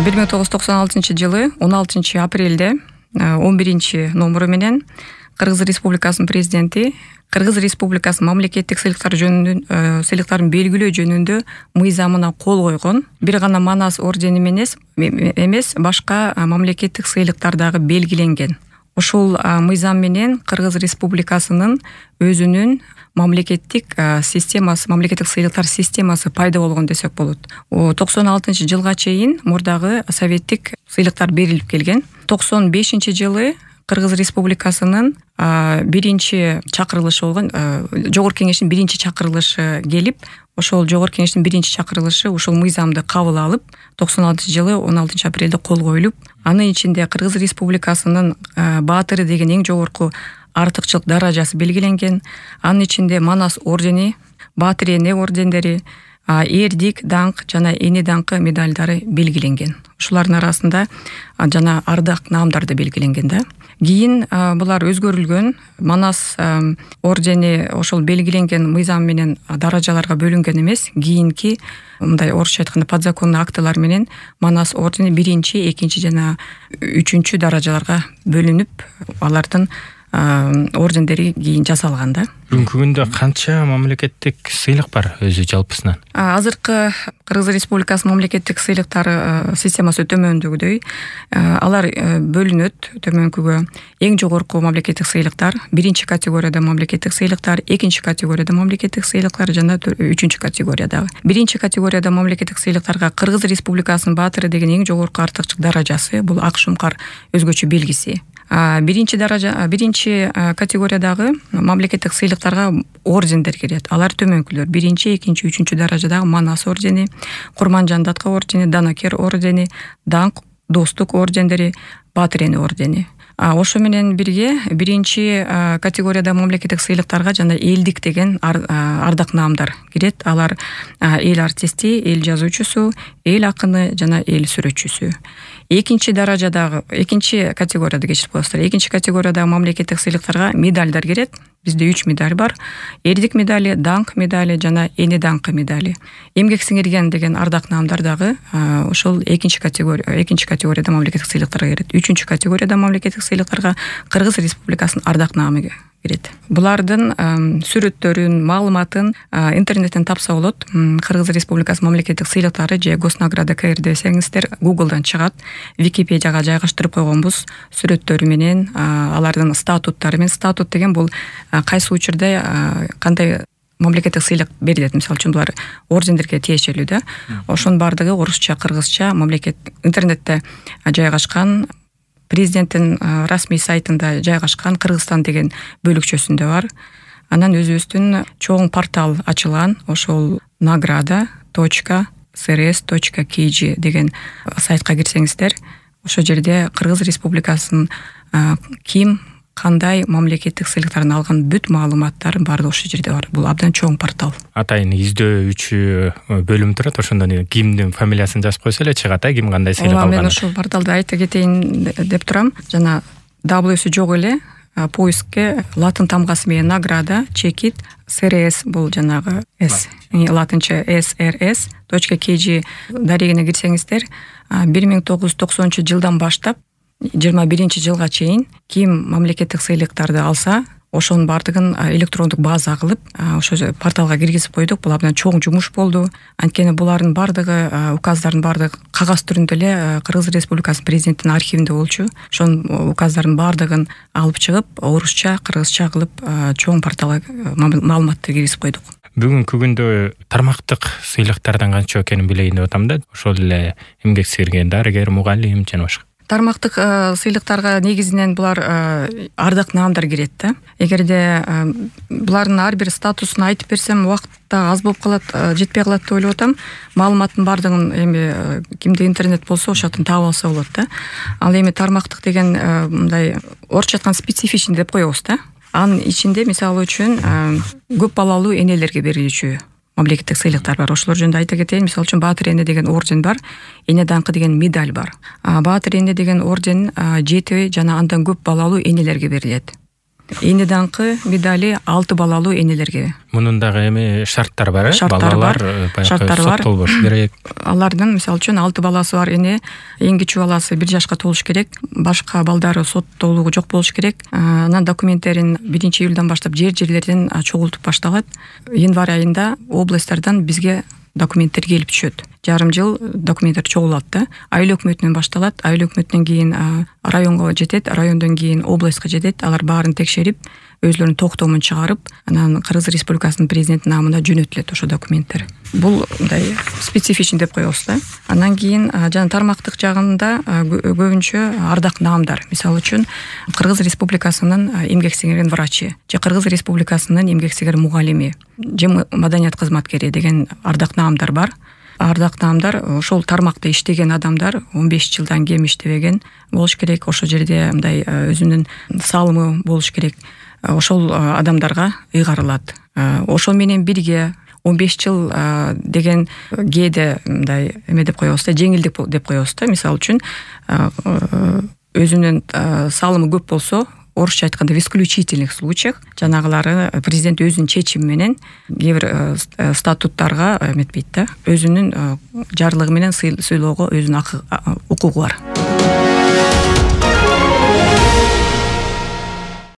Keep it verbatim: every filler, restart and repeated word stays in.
бир миң тогуз жүз токсон алтынчы жылы он алтынчы апрелде он биринчи номеру менен Кыргыз Республикасынын президенти Кыргыз Республикасынын мамлекеттик сыйлыктар жөнүндө сыйлыктарын белгилөө жөнүндө мыйзамына кол койгон. Бир гана Манас ордени менен эмес, башка мамлекеттик сыйлыктар дагы белгиленген. Ушул мыйзам менен Кыргыз Республикасынын өзүнүн мамлекеттик системасы, мамлекеттик сыйлыктар системасы пайда болгон десек болот. токсон алтынчы жылга чейин мурдагы советтик сыйлыктар берилип келген. токсон бешинчи жылы Кыргыз Республикасынын биринчи чакырылышы болгон, Жогорку кеңештин биринчи чакырылышы келип, ошол Жогорку кеңештин биринчи чакырылышы ушул мыйзамды кабыл алып, токсон алтынчы жылы он алтынчы апрелде кол коюлуп, анын ичинде Кыргыз Республикасынын баатыры деген эң жогорку артыкчылык даражасы белгиленген. Анын ичинде Манас ордени, Баатыр эне ордендери, эрдик даңк жана эне даңкы медалдары белгиленген. Ушулардын арасында жана ардак наамдар да белгиленген да. Кийин булар өзгөрүлгөн. Манас ордени ошол белгиленген мыйзам менен даражаларга бөлүнгөн эмес. Кийинки мындай орусча айтканда подзаконный актылар менен Манас ордени биринчи, экинчи жана үчүнчү даражаларга бөлүнүп, алардын ордендери кийин жасалган да. Бүгүнкү күндө канча мамлекеттик сыйлык бар өзү жалпысынан? Азыркы Кыргыз Республикасынын мамлекеттик сыйлыктары системасы төмөндөгүдөй. Алар бөлүнөт төмөнкүгө. Эң жогорку мамлекеттик сыйлыктар, биринчи категорияда мамлекеттик сыйлыктар, экинчи категорияда мамлекеттик сыйлыктар жана үчүнчү категориядагы. Биринчи категорияда мамлекеттик сыйлыктарга Кыргыз Республикасынын баатыры деген эң жогорку артыкчылык даражасы, бул ак шумкар өзгөчө белгиси. Биринчи даража, биринчи категориядагы мамлекеттик сыйлыктарга ордендер кирет. Алар төмөнкүлөр: биринчи, экинчи, үчүнчү даражадагы Манас ордени, Курманжан Датка ордени, Данакер ордени, Даңк, Достук ордендери, Баатыр эне ордени. Ошо менен бирге биринчи категорияда мамлекеттик сыйлыктарга жана элдик деген ардак наамдар кирет. Алар эл артисти, эл жазуучусу, эл акыны жана эл сүрөтчүсү. Экинчи даражадагы, экинчи категорияда кечирип коесуздар. Экинчи категориядагы мамлекеттик сыйлыктарга медалдар кирет. Бизде үч медаль бар: эрдик медали, даңк медали жана эне даңкы медали. Эмгек сиңирген деген ардак наамдар дагы ошол экинчи категория, экинчи категорияда мамлекеттик сыйлыктарга кирет. Үчүнчү категорияда мамлекеттик сыйлыктарга Кыргыз Республикасынын ардак наамы кирет. Булардын сүрөттөрүн, маалыматын интернеттен тапса болот. Кыргыз Республикасынын мамлекеттик сыйлыктары же Госнаграда КР десеңиздер Google'дан чыгат. Википедияга жайгаштырып койгонбуз сүрөттөрү менен, алардын статуттары менен. Статут деген бул кайсы учурда кандай мамлекеттик сыйлык берилет. Мисалы үчүн булар ордендерге тиешелүү да. Ошонун бардыгы орусча, кыргызча мамлекет интернетте жайгашкан. Президенттин расмий сайтында жайгашкан Кыргызстан деген бөлүкчөсүндө бар. Анан өзүбүздүн чоң портал ачылган. Ошол награда точка эс эр эс точка кей джи деген сайтка кирсеңиздер, ошол жерде Кыргыз Республикасынын ким кандай мамлекеттик сыйлыктарын алган бүт маалыматтар баары ошол жерде бар. Бул абдан чоң портал. Атайын издөөчү бөлүм турат. Ошондон кимдин фамилиясын жазып койсо эле чыгат, а ким кандай сыйлык алганын. Мен ошол порталды айта кетейин деп турам. Жана даблюсу жок эле. Поискке латын тамгасы менен награда чекит эс эр эс, бул жанагы с латынча эс эр эс точка кей джи дарегине кирсеңиздер, бир миң тогуз жүз токсонунчу жылдан баштап жыйырма биринчи жылга чейин ким мамлекеттик сыйлыктарды алса, ошонун бардыгын электрондук база кылып, ошо порталга киргизип койдук. Бул абдан чоң жумуш болду. Анткени булардын бардыгы, указдардын бардыгы кагаз түрүндө эле Кыргыз Республикасынын президентинин архивинде болчу. Ошонун указдардын бардыгын алып чыгып, орусча, кыргызча кылып чоң порталга маалыматты киргизип койдук. Бүгүнкү күндө тармактык сыйлыктардан канча экенин билейин деп атам да. Ошол эле эмгек сиңирген дарыгер, мугалим жана башка. Тармактык сыйлыктарга негизинен булар ардак наамдар кирет да. Эгерде булардын ар бир статусун айтып берсем, убакытта аз болуп калат, жетпей калат деп ойлоп атам. Маалыматтын бардыгын эми кимде интернет болсо ошол жактан таап алса болот да. Ал эми тармактык деген мындай орусча айтканда специфичный деп коебуз да. Анын ичинде мисалы үчүн көп балалуу энелерге берилүүчү мамлекеттик сыйлыктар бар. Ошолор жөнүндө айта кетейин. Мисалы үчүн Баатыр эне деген орден бар, эне даңкы деген медаль бар. Баатыр эне деген орден жети жана андан көп балалуу энелерге берилет. эне даңкы медали алты балалуу энелерге. Мунун дагы эми шарттары бар, э? Шарттар бар. Шарттар бар. Болбош керек. Алардын мисалы үчүн алты баласы бар эне, эң кичүү баласы бир жашка толуш керек. Башка балдары соттолугу жок болуш керек. Анан документтерин биринчи июлдан баштап жер жерлерден чогултуп башталат. Январь айында областтардан бизге документтер келип түшөт. Жарым жыл документтер чогулат да. Айыл өкмөтүнөн башталат. Айыл өкмөтүнөн кийин районго жетет, райондон кийин областка жетет. Алар баарын текшерип, өзлөрүнүн токтомун чыгарып, анан Кыргыз Республикасынын президентинин намына жөнөтүлөт ошо документтер. Бул мындай специфичный деп коебуз да. Анан кийин жана тармактык жагында көбүнчө ардак наамдар. Мисалы үчүн Кыргыз Республикасынын эмгек сиңирген врачы, же Кыргыз Республикасынын эмгек сиңирген мугалими, же маданият кызматкери деген ардак наамдар бар. Ардак наамдар ошол тармакта иштеген адамдар он беш жылдан кем иштебеген болуш керек. Ошол жерде мындай өзүнүн салымы болуш керек. Ошол адамдарга ыйгарылат. Ошол менен бирге он беш жыл деген кээде мындай эме деп коебуз да, жеңилдик деп коебуз да. Мисалы үчүн өзүнүн салымы көп болсо, орусча айтканда в исключительных случаях жанагылары президент өзүнүн чечими менен кээ бир статуттарга эметпейт да, өзүнүн жарлыгы менен сыйлоого өзүнүн укугу бар.